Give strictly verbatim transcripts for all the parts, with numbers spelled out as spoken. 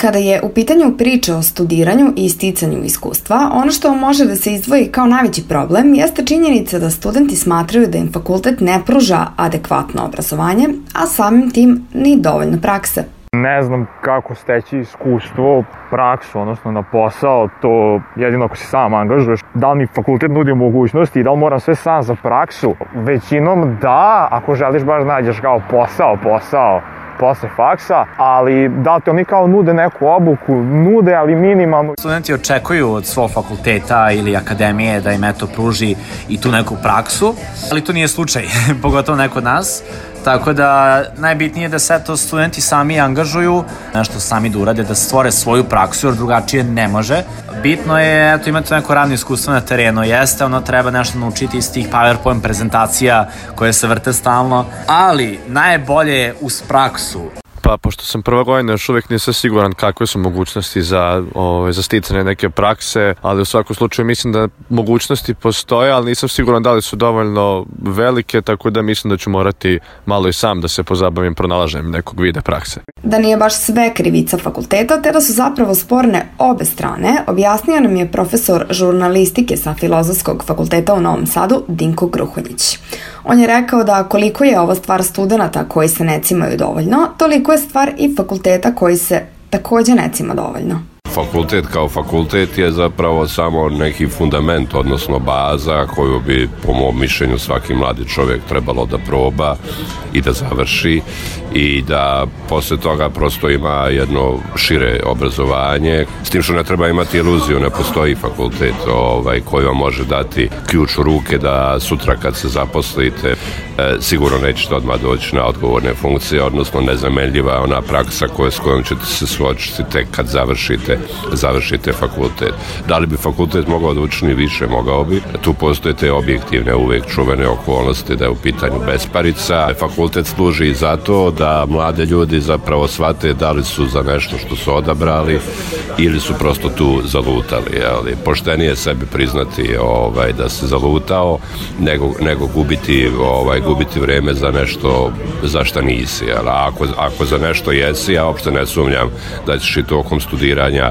Kada je u pitanju priča o studiranju i sticanju iskustva, ono što može da se izdvoji kao najveći problem jeste činjenica da studenti smatraju da im fakultet ne pruža adekvatno obrazovanje, a samim tim ni dovoljno prakse. Ne znam kako steći iskustvo, praksu, odnosno na posao, to jedino ako se sam angažuješ. Da li mi fakultet nudi mogućnosti i da li moram sve sam za praksu? Većinom da, ako želiš baš nađeš kao posao, posao, posle faksa, ali da li te oni kao nude neku obuku, nude, ali minimalno. Studenti očekuju od svog fakulteta ili akademije da im eto pruži i tu neku praksu, ali to nije slučaj, pogotovo ne kod nas. Tako da najbitnije je da se to studenti sami angažuju, nešto sami da urade, da stvore svoju praksu, jer drugačije ne može. Bitno je, eto, imati neko radno iskustvo na terenu, jeste, ono treba nešto naučiti iz tih PowerPoint prezentacija koje se vrte stalno, ali najbolje je uz praksu. Pa, pošto sam prva godina, još uvijek nisam siguran kakve su mogućnosti za, ove, za sticanje neke prakse, ali u svakom slučaju mislim da mogućnosti postoje, ali nisam siguran da li su dovoljno velike, tako da mislim da ću morati malo i sam da se pozabavim pronalaženjem nekog vida prakse. Da nije baš sve krivica fakulteta, te da su zapravo sporne obe strane, objasnio nam je profesor žurnalistike sa Filozofskog fakulteta u Novom Sadu, Dinko Gruhonjić. On je rekao da koliko je ovo stvar studenata koji se ne cimaju dovoljno, toliko je stvar i fakulteta koji se takođe ne cima dovoljno. Fakultet kao fakultet je zapravo samo neki fundament, odnosno baza koju bi, po mom mišljenju, svaki mladi čovjek trebalo da proba i da završi i da posle toga prosto ima jedno šire obrazovanje. S tim što ne treba imati iluziju, ne postoji fakultet ovaj, koji vam može dati ključ u ruke da sutra kad se zaposlite e, sigurno nećete odmah doći na odgovorne funkcije, odnosno nezamenljiva je ona praksa koja, s kojom ćete se suočiti tek kad završite završite fakultet. Da li bi fakultet mogao da učini više? Mogao bi. Tu postoje te objektivne, uvek čuvene okolnosti da je u pitanju besparica. Fakultet služi za to da mlade ljudi zapravo shvate da li su za nešto što su odabrali ili su prosto tu zalutali. Ali poštenije sebi priznati ovaj, da se zalutao nego, nego gubiti, ovaj, gubiti vreme za nešto za šta nisi. Ali ako, ako za nešto jesi, ja uopšte ne sumnjam da ćeš i tokom studiranja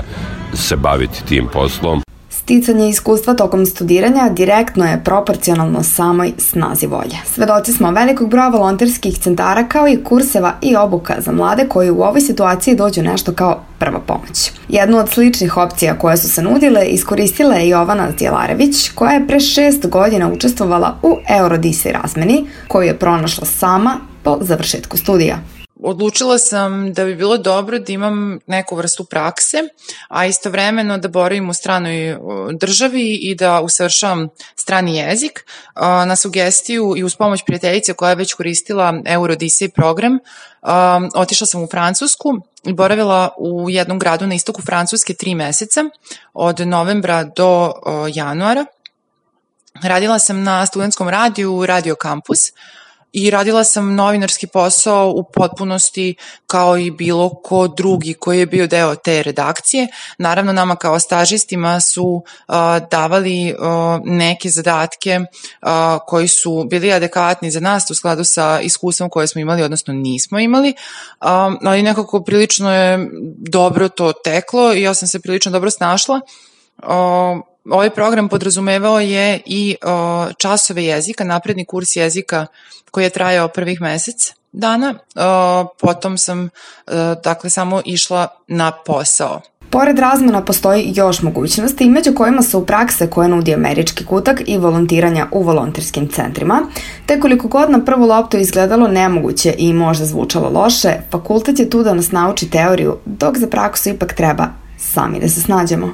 se baviti tim poslom. Sticanje iskustva tokom studiranja direktno je proporcionalno samoj snazi volje. Svedoci smo velikog broja volonterskih centara kao i kurseva i obuka za mlade koji u ovoj situaciji dođu nešto kao prva pomoć. Jednu od sličnih opcija koje su se nudile iskoristila je Jovana Zdjelarević, koja je pre šest godina učestvovala u Eurodisej razmeni, koju je pronašla sama po završetku studija. Odlučila sam da bi bilo dobro da imam neku vrstu prakse, a istovremeno da boravim u stranoj državi i da usavršavam strani jezik. Na sugestiju i uz pomoć prijateljice koja je već koristila Eurodisej program, otišla sam u Francusku i boravila u jednom gradu na istoku Francuske tri meseca, od novembra do januara. Radila sam na studentskom radiju Radio Campus, i radila sam novinarski posao u potpunosti kao i bilo ko drugi koji je bio deo te redakcije. Naravno, nama kao stažistima su uh, davali uh, neke zadatke uh, koji su bili adekvatni za nas u skladu sa iskustvom koje smo imali, odnosno nismo imali, um, ali nekako prilično je dobro to teklo i ja sam se prilično dobro snašla. Uh, Ovaj program podrazumevao je i o, časove jezika, napredni kurs jezika koji je trajao prvih mesec dana. O, potom sam o, dakle samo išla na posao. Pored razmena postoji još mogućnosti, među kojima su prakse koje nudi Američki kutak i volontiranja u volonterskim centrima, te koliko god na prvu loptu izgledalo nemoguće i možda zvučalo loše, fakultet je tu da nas nauči teoriju, dok za praksu ipak treba sami da se snađemo.